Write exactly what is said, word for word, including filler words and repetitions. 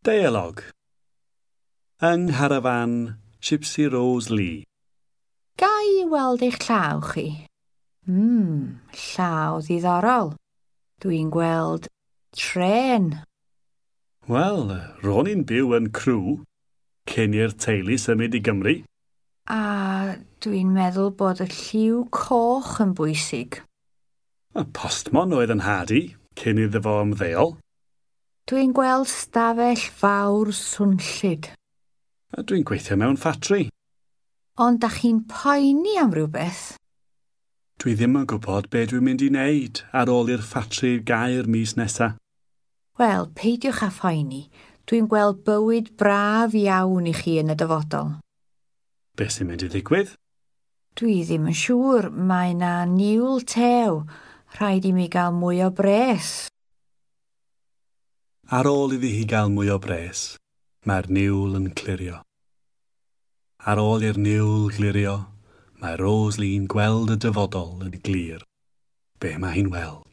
Deialog. Yng ngharafan Gypsy Rose Lee. Ga i weld eich llaw chi? Mm, llaw ddiddorol. Dwi'n gweld trên. Wel, ro'n i'n byw yn Crewe cyn i'r teulu symud i Gymru. A dwi'n meddwl bod y lliw coch yn bwysig. Y postmon oedd 'y nhad i cyn iddo fo ymddeol. Dwi'n gweld stafell fawr swnllyd. A dwi'n gweithio mewn ffatri. Ond da chi'n poeni am rhywbeth? Dwi ddim yn gwybod be dwi'n mynd i wneud ar ôl i'r ffatri gau'r mis nesa. Wel, peidiwch â phoeni. Dwi'n gweld bywyd braf iawn i chi yn y dyfodol. Be sy'n mynd i ddigwydd? Dwi ddim yn siŵr. Mae 'na niwl tew. Rhaid i mi gael mwy o bres. Ar ôl iddi hi gael mwy o bres, mae'r niwl yn clirio. Ar ôl i'r niwl glirio, mae Rose Lee'n gweld y dyfodol yn glir. Be mae hi'n weld?